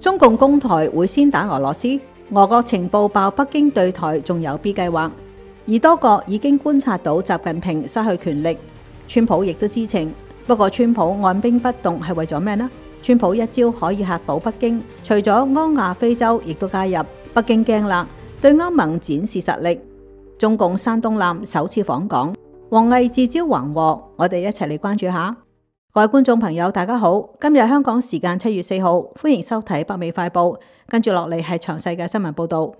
中共攻台會先打俄羅斯，俄國情報爆北京對台仲有 B 計劃，而多國已經觀察到習近平失去權力，川普亦都知情。不過川普按兵不動係為咗咩呢？川普一招可以嚇倒北京，除咗安亞非洲亦都加入，北京驚啦，對歐盟展示實力。中共山東艦首次訪港，王毅自招橫禍，我哋一齊嚟關注下。各位觀眾朋友大家好，今日香港時間7月4號，歡迎收睇北美快報，跟住落嚟係詳細嘅新聞報道。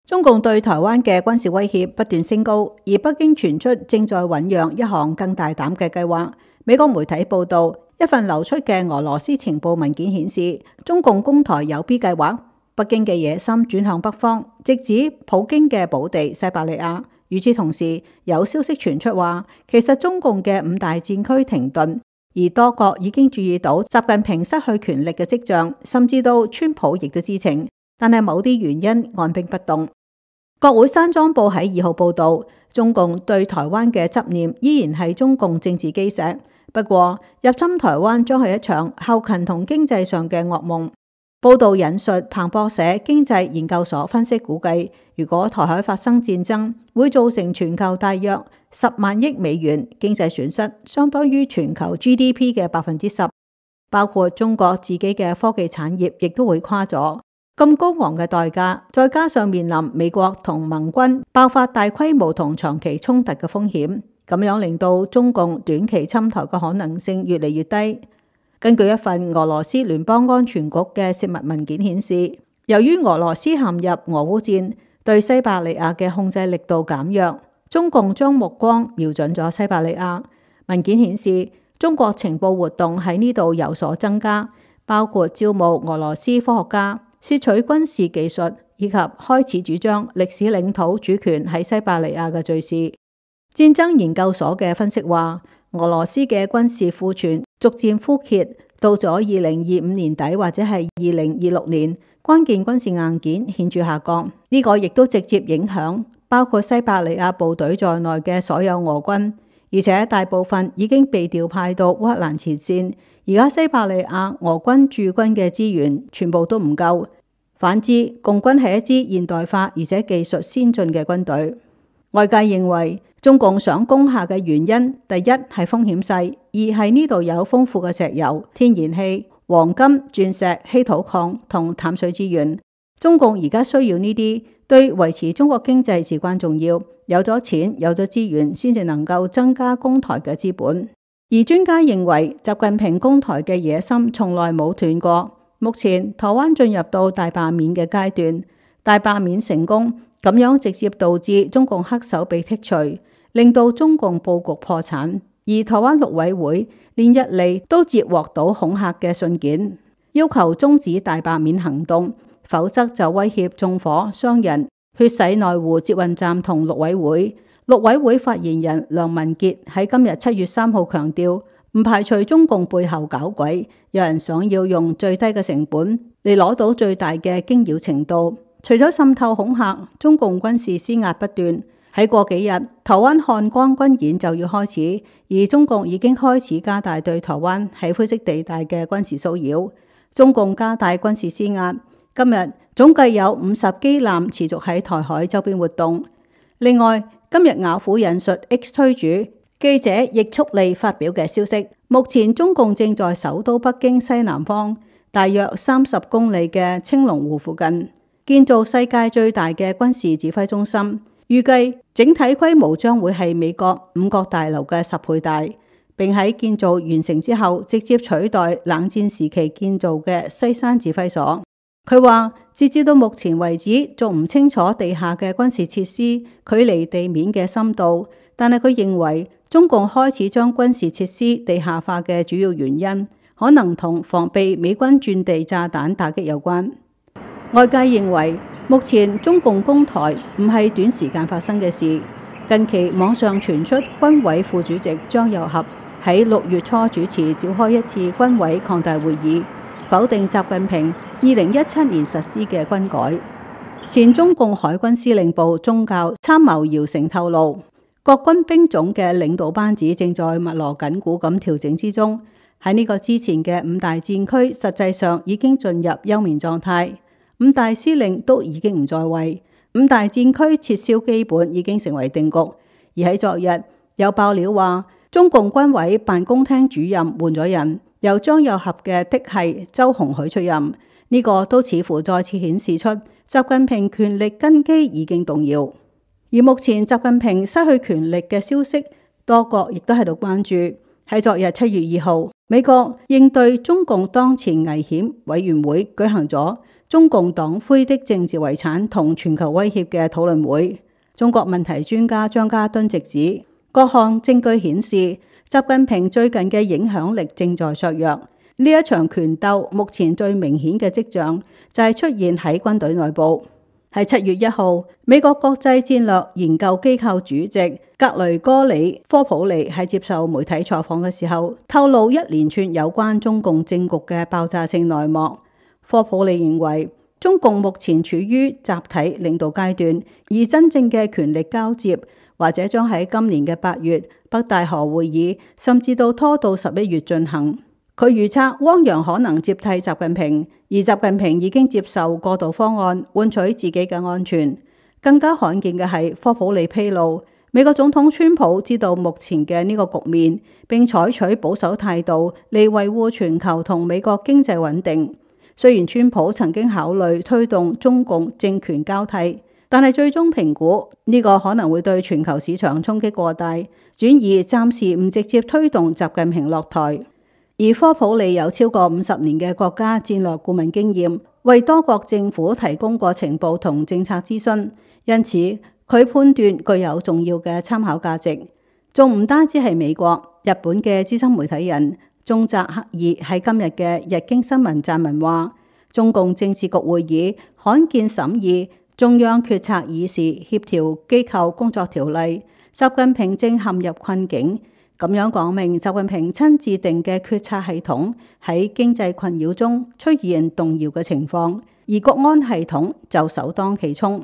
中共對台灣嘅軍事威脅不斷升高，而北京傳出正在醞釀一項更大膽嘅計劃。美國媒體報道，一份流出嘅俄羅斯情報文件顯示，中共攻台有 B 計劃，北京嘅野心轉向北方，直指普京嘅寶地西伯利亞。與此同時，有消息傳出話，其實中共嘅5大戰區停頓，而多國已經注意到習近平失去權力嘅跡象，甚至到川普亦都知情，但係某啲原因按兵不動。國會山莊報喺2號報道，中共對台灣嘅執念依然係中共政治基石，不過入侵台灣將係一場後勤同經濟上嘅噩夢。報道引述彭博社經濟研究所分析估計，如果台海發生戰爭，會造成全球大約10萬億美元經濟損失，相當於全球 GDP 嘅10%，包括中國自己嘅科技產業亦都會垮咗。咁高昂嘅代價，再加上面臨美國同盟軍爆發大規模同長期衝突嘅風險，咁樣令到中共短期侵台嘅可能性越嚟越低。根據一份俄羅斯聯邦安全局嘅泄密文件顯示，由於俄羅斯陷入俄烏戰，對西伯利亞嘅控制力度減弱，中共將目光瞄準咗西伯利亞。文件顯示，中國情報活動喺呢度有所增加，包括招募俄羅斯科學家、竊取軍事技術，以及開始主張歷史領土主權喺西伯利亞嘅敘事。戰爭研究所嘅分析話，俄羅斯嘅軍事庫存逐漸枯竭，到咗2025年底或者係2026年，關鍵軍事硬件顯著下降。呢個亦都直接影響包括西伯利亞部隊在內嘅所有俄軍，而且大部分已經被調派到烏克蘭前線。而家西伯利亞俄軍駐軍嘅資源全部都唔夠。反之，共軍係一支現代化而且技術先進嘅軍隊。外界認為，中共想攻下嘅原因，第一係風險細，二係呢度有豐富嘅石油、天然氣、黃金、鑽石、稀土礦同淡水資源。中共而家需要呢啲，對維持中國經濟至關重要。有咗錢，有咗資源，先至能夠增加攻台嘅資本。而專家認為，習近平攻台嘅野心從來冇斷過。目前台灣進入到大罷免嘅階段，大罷免成功，咁樣直接導致中共黑手被剔除，令到中共佈局破產。而台灣陸委會連日嚟都接獲到恐嚇嘅信件，要求終止大罷免行動，否則就威脅縱火傷人、血洗內湖捷運站同陸委會。陸委會發言人梁文傑喺今日7月3號強調，唔排除中共背後搞鬼，有人想要用最低嘅成本嚟攞到最大嘅驚擾程度。除咗滲透恐嚇，中共軍事施壓不斷。喺過幾日，台灣漢光軍演就要開始，而中共已經開始加大對台灣喺灰色地帶嘅軍事騷擾。中共加大軍事施壓，今日總計有50機艦持續喺台海周邊活動。另外，今日雅虎引述 X 推主記者易速利發表嘅消息，目前中共正在首都北京西南方大約30公里嘅青龍湖附近建造世界最大嘅軍事指揮中心，預計整體規模將會係美國5角大樓嘅10倍大，並喺建造完成之後直接取代冷戰時期建造嘅西山指揮所。佢話，截至到目前為止，仲唔清楚地下嘅軍事設施距離地面嘅深度，但係佢認為中共開始將軍事設施地下化嘅主要原因，可能同防備美軍鑽地炸彈打擊有關。外界認為，目前中共攻台唔係短時間發生嘅事。近期網上傳出軍委副主席張又俠喺6月初主持召開一次軍委擴大會議，否定習近平2017年實施嘅軍改。前中共海軍司令部宗教參謀姚成透露，各軍兵種嘅領導班子正在密鑼緊鼓咁調整之中。喺呢個之前嘅五大戰區，實際上已經進入休眠狀態，五大司令都已經唔在位，五大戰區撤銷基本已經成為定局。而喺昨日有爆料話，中共軍委辦公廳主任換咗人，由張又俠嘅嫡系周鴻許出任，呢個都似乎再次顯示出習近平權力根基已經動搖。而目前習近平失去權力嘅消息，多國亦都喺度關注。喺昨日7月2號，美國應對中共當前危險委員會舉行咗中共黨魁的政治遺產同全球威脅嘅討論會。中國問題專家張家敦直指，各項證據顯示習近平最近嘅影響力正在削弱。呢一場權鬥目前最明顯嘅跡象就係出現喺軍隊內部。喺7月1號，美國國際戰略研究機構主席格雷戈里科普利喺接受媒體採訪嘅時候，透露一連串有關中共政局嘅爆炸性內幕。科普利認為，中共目前處於集體領導階段，而真正嘅權力交接或者將喺今年嘅8月北戴河會議，甚至拖到11月進行。佢預測汪洋可能接替習近平，而習近平已經接受過渡方案，換取自己嘅安全。更加罕見嘅係科普利披露，美國總統川普知道目前嘅呢個局面，並採取保守態度嚟維護全球同美國經濟穩定。雖然川普曾經考慮推動中共政權交替，但係最終評估呢個可能會對全球市場衝擊過大，轉而暫時唔直接推動習近平落台。而科普利有超過50年嘅國家戰略顧問經驗，為多國政府提供過情報同政策諮詢，因此佢判斷具有重要嘅參考價值。仲唔單止係美國，日本嘅資深媒體人中澤克二喺今日嘅日經新聞撰文話，中共政治局會議罕見審議中央決策議事協調機構工作條例，習近平正陷入困境。咁樣講明，習近平親自定嘅決策系統喺經濟困擾中出現動搖嘅情況，而國安系統就首當其衝。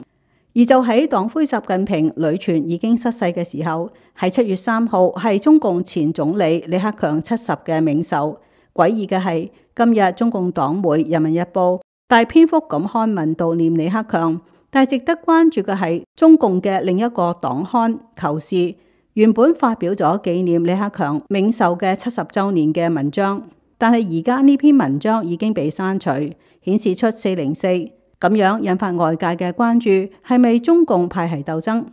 而就喺黨魁習近平屢傳已經失勢嘅時候，喺7月3號係中共前總理李克強70嘅冥壽。詭異嘅係，今日中共黨媒《人民日報》大篇幅咁刊文悼念李克強，但係值得關注嘅係中共嘅另一個黨刊《求是》。原本發表咗紀念李克強冥壽嘅70週年嘅文章，但係而家呢篇文章已經被刪除，顯示出404，咁樣引發外界嘅關注，係咪中共派系鬥爭？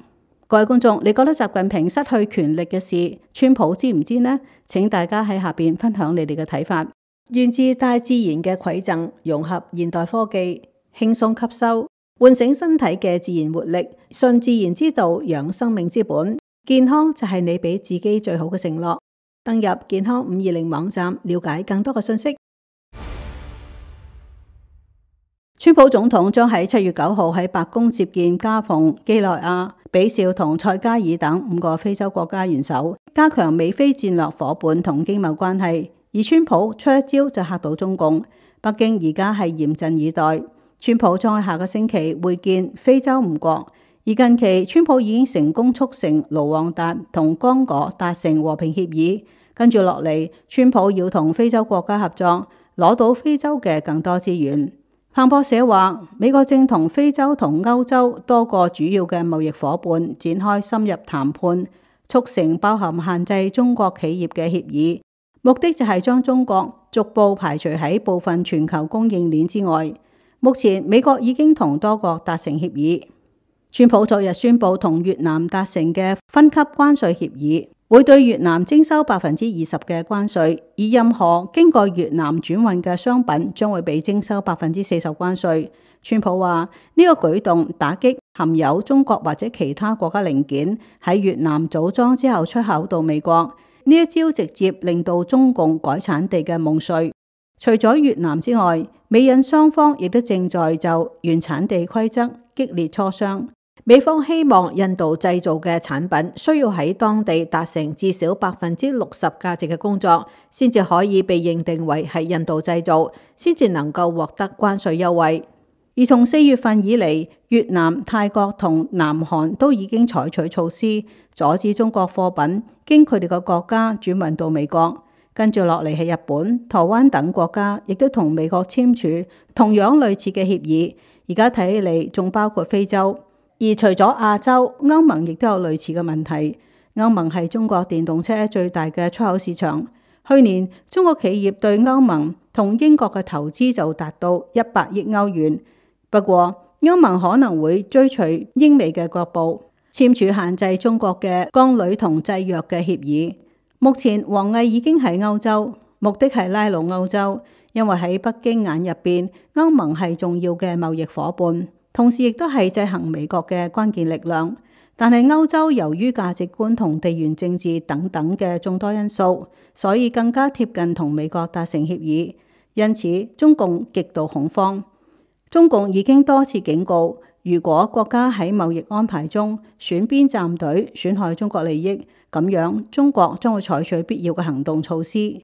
各位觀眾，你覺得習近平失去權力嘅事，川普知唔知呢？請大家喺下邊分享你哋嘅睇法。源自大自然嘅饋贈，融合現代科技，輕鬆吸收，喚醒身體嘅自然活力，順自然之道，養生命之本。健康就係你俾自己最好嘅承諾。登入健康520網站，了解更多嘅信息。川普總統將喺7月9號喺白宮接見加蓬、幾內亞、比紹同塞加爾等5個非洲國家元首，加強美非戰略夥伴同經貿關係。而川普出一招就嚇到中共，北京而家係嚴陣以待。川普將喺下個星期會見非洲5國。而近期，川普已經成功促成盧旺達同剛果達成和平協議，跟住落嚟，川普要同非洲國家合作，攞到非洲嘅更多資源。彭博社話，美國正同非洲同歐洲多個主要嘅貿易夥伴展開深入談判，促成包含限制中國企業嘅協議，目的就係將中國逐步排除喺部分全球供應鏈之外。目前，美國已經同多國達成協議。川普昨日宣布同越南達成嘅分級關稅協議，會對越南徵收20%嘅關稅，而任何經過越南轉運嘅商品將會被徵收40%關稅。川普話呢個舉動打擊含有中國或者其他國家零件喺越南組裝之後出口到美國，呢一招直接令到中共改產地嘅夢碎。除咗越南之外，美印雙方亦都正在就原產地規則激烈磋商。美方希望印度製造嘅產品需要喺當地達成至少60%價值嘅工作，先至可以被認定為係印度製造，先至能夠獲得關稅優惠。而從4月份以嚟，越南、泰國同南韓都已經採取措施，阻止中國貨品經佢哋嘅國家轉運到美國。跟住落嚟係日本、台灣等國家，亦都同美國簽署同樣類似嘅協議。而家睇起嚟仲包括非洲。而除咗亞洲，歐盟亦都有類似嘅問題。歐盟係中國電動車最大嘅出口市場。去年中國企業對歐盟同英國嘅投資就達到100億歐元。不過歐盟可能會追隨英美嘅腳步，簽署限制中國嘅鋼鋁同製藥嘅協議。目前王毅已經喺歐洲，目的係拉攏歐洲，因為喺北京眼入邊，歐盟係重要嘅貿易夥伴，同時亦都係制衡美國嘅關鍵力量。但係歐洲由於價值觀同地緣政治等等嘅眾多因素，所以更加貼近同美國達成協議。因此中共極度恐慌。中共已經多次警告，如果國家喺貿易安排中選邊站隊，損害中國利益，咁樣中國將會採取必要嘅行動措施。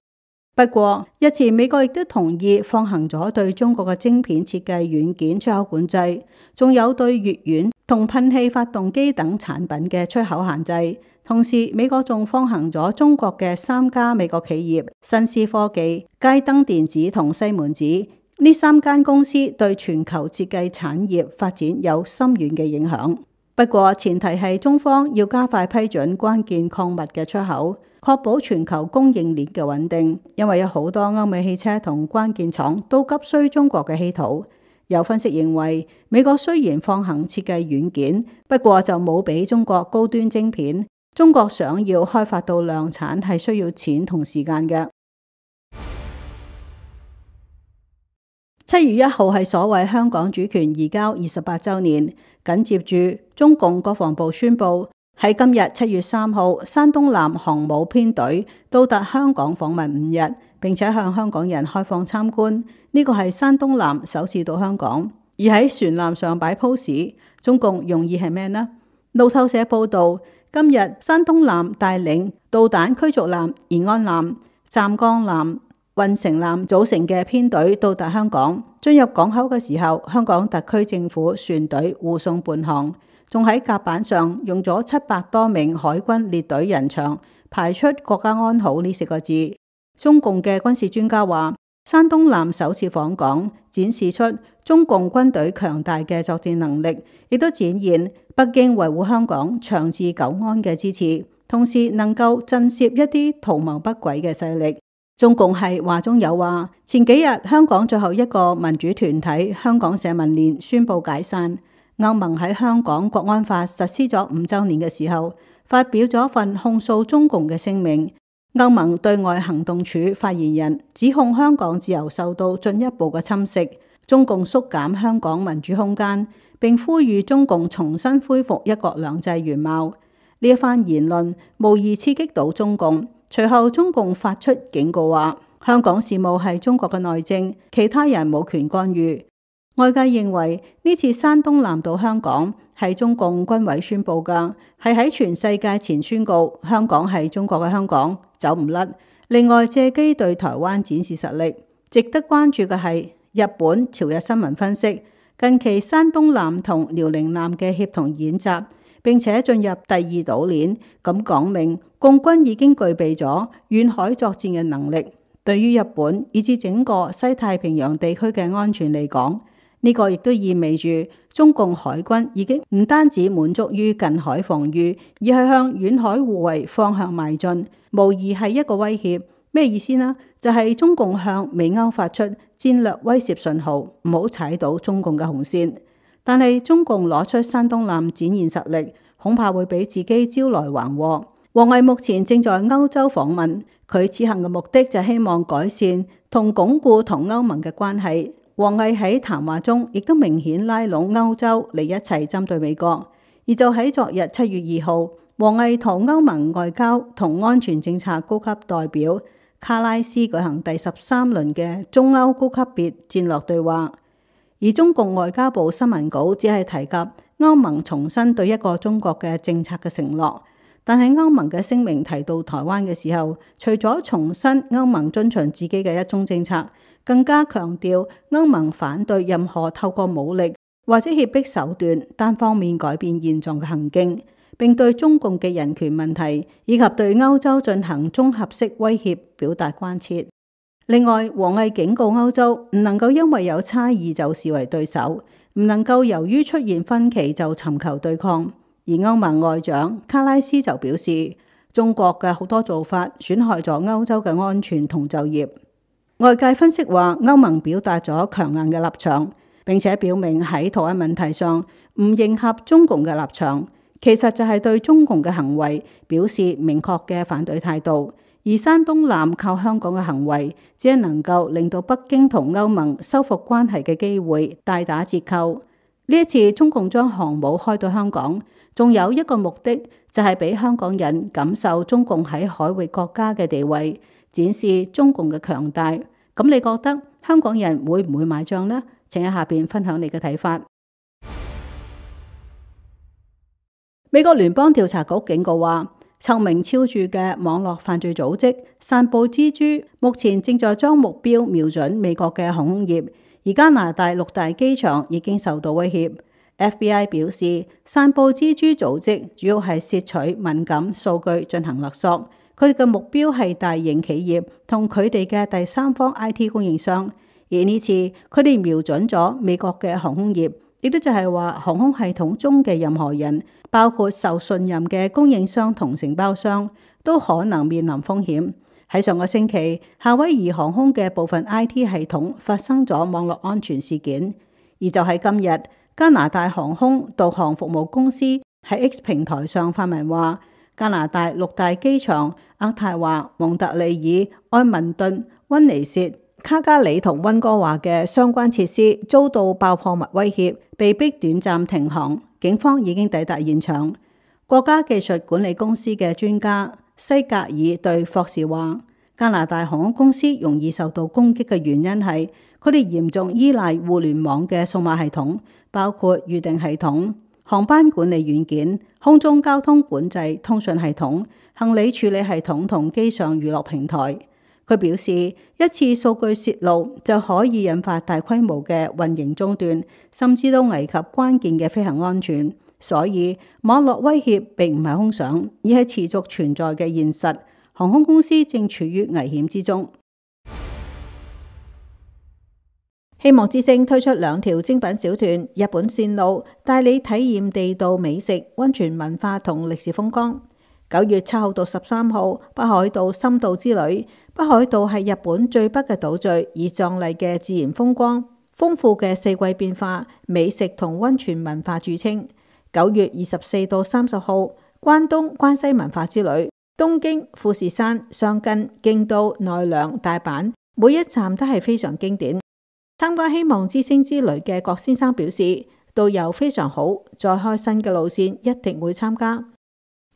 不過日前美國亦都同意放行咗對中國嘅晶片設計軟件出口管制，仲有對乙烷同噴氣發動機等產品嘅出口限制。同時美國仲放行咗中國嘅3家美國企業新思科技、佳登電子同西門子，呢3間公司對全球設計產業發展有深遠嘅影響。不過前提係中方要加快批准關鍵礦物嘅出口，確保全球供應鏈嘅穩定，因為有好多歐美汽車同關鍵廠都急需中國嘅稀土。有分析認為，美國雖然放行設計軟件，不過就冇俾中國高端晶片。中國想要開發到量產係需要錢同時間嘅。7月1號係所謂香港主權移交28週年，緊接住中共國防部宣布喺今日7月3號，山東艦航母編隊到達香港訪問5日，並且向香港人開放參觀。呢個係山東艦首次到香港，而喺船艦上擺 pose， 中共用意係咩呢？路透社報道，今日山東艦帶領導彈驅逐艦延安艦、湛江艦、運城艦組成嘅編隊到達香港，進入港口嘅時候，香港特區政府船隊護送伴航，仲喺甲板上用咗700多名海軍列隊人牆排出國家安好呢4個字。中共嘅軍事專家話，山東艦首次訪港，展示出中共軍隊強大嘅作戰能力，亦都展現北京維護香港長治久安嘅支持，同時能夠震懾一啲圖謀不軌嘅勢力。中共係話中有話，前幾日香港最後一個民主團體香港社民連宣布解散。歐盟喺香港國安法實施咗5週年嘅時候，發表咗份控訴中共嘅聲明。歐盟對外行動處發言人指控香港自由受到進一步嘅侵蝕，中共縮減香港民主空間，並呼籲中共重新恢復一國兩制原貌。呢一番言論無疑刺激到中共。隨後中共發出警告話，香港事務係中國嘅內政，其他人冇權干預。外界認為呢次山東艦到香港係中共軍委宣布㗎，係喺全世界前宣告香港係中國嘅香港，走唔甩。另外借機對台灣展示實力。值得關注嘅係日本朝日新聞分析，近期山東艦同遼寧艦嘅協同演習，並且進入第2島鏈，咁講明共軍已經具備咗遠海作戰嘅能力。對於日本以至整個西太平洋地區嘅安全嚟講，呢個亦都意味住中共海軍已經唔單止滿足於近海防禦，而係向遠海護衛方向邁進，無疑係一個威脅。咩意思呢？就係中共向美歐發出戰略威懾信號，唔好踩到中共嘅紅線。但係中共攞出山東艦展現實力，恐怕會俾自己招來橫禍。王毅目前正在歐洲訪問，佢此行嘅目的就希望改善同鞏固同歐盟嘅關係。王毅喺談話中亦都明顯拉攏歐洲嚟一齊針對美國。而就喺昨日7月2號，王毅同歐盟外交同安全政策高級代表卡拉斯舉行第13輪嘅中歐高級別戰略對話。而中共外交部新聞稿只係提及歐盟重申對一個中國嘅政策嘅承諾，但係歐盟嘅聲明提到台灣嘅時候，除咗重申歐盟遵循自己嘅一中政策，更加強調歐盟反對任何透過武力或者脅迫手段單方面改變現狀嘅行徑。並對中共嘅人權問題以及對歐洲進行綜合式威脅表達關切。另外，王毅警告歐洲唔能夠因為有差異就視為對手，唔能夠由於出現分歧就尋求對抗。而歐盟外長卡拉斯就表示，中國嘅好多做法損害咗歐洲嘅安全同就業。外界分析話，歐盟表達咗強硬嘅立場，並且表明喺台灣問題上唔迎合中共嘅立場，其實就係對中共嘅行為表示明確嘅反對態度。而山東艦靠香港嘅行為，只係能夠令到北京同歐盟修復關係嘅機會大打折扣。呢一次中共將航母開到香港，仲有一個目的，就係俾香港人感受中共喺海域國家嘅地位，展示中共嘅強大。咁你覺得香港人會唔會買賬呢？請喺下邊分享你嘅睇法。美國聯邦調查局警告話，臭名昭著嘅網絡犯罪組織散布蜘蛛，目前正在將目標瞄準美國嘅航空業，而加拿大6大機場已經受到威脅。FBI 表示，散布蜘蛛組織主要係竊取敏感數據進行勒索，佢哋嘅目標係大型企業同佢哋嘅第三方 IT 供應商，而呢次佢哋瞄準咗美國嘅航空業，亦都就係話航空系統中嘅任何人，包括受信任嘅供應商同承包商，都可能面臨風險。喺上個星期，夏威夷航空嘅部分 IT 系統發生咗網絡安全事件，而就喺今日，加拿大航空導航服務公司喺 X 平台上發文話，加拿大6大機場渥太華、蒙特利爾、埃文頓、溫尼薛、卡加里同溫哥華嘅相關設施遭到爆破物威脅，被迫短暫停航。警方已經抵達現場。國家技術管理公司嘅專家西格爾對霍士話，加拿大航空公司容易受到攻擊嘅原因係佢哋嚴重依賴互聯網嘅數碼系統，包括預訂系統、航班管理軟件、空中交通管制通訊系統、行李處理系統同機上娛樂平台。佢表示，一次數據洩露就可以引發大規模嘅運營中斷，甚至都危及關鍵嘅飛行安全。所以網絡威脅並唔係空想，而係持續存在嘅現實。航空公司正處於危險之中。希望之星推出2條精品小團，日本線路帶你體驗地道美食、溫泉文化同歷史風光。9月7號到13號，北海道深度之旅。北海道係日本最北嘅島嶼，以壯麗嘅自然風光、豐富嘅四季變化、美食同溫泉文化著稱。9月24到30號，關東關西文化之旅。東京、富士山、箱根、京都、奈良、大阪，每一站都係非常經典。參加希望之星之旅嘅郭先生表示，導遊非常好，再開新嘅路線一定會參加。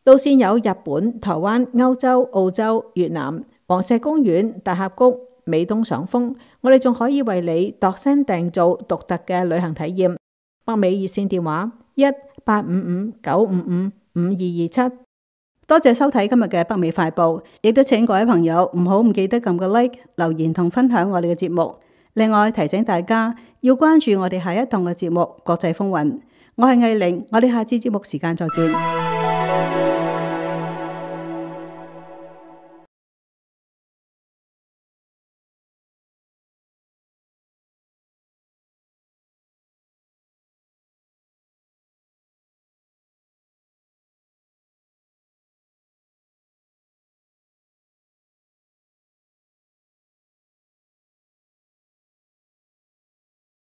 路線有日本、台灣、歐洲、澳洲、越南、黃石公園、大峽谷、美東賞楓。我哋仲可以為你度身訂造獨特嘅旅行體驗。北美熱線電話1-855-955-5227。多謝收睇今日嘅北美快報，亦都請各位朋友唔記得撳個 like、留言同分享我哋嘅節目。另外提醒大家要關注我哋下一檔嘅節目《國際風雲》。我係藝玲，我哋下次節目時間再見。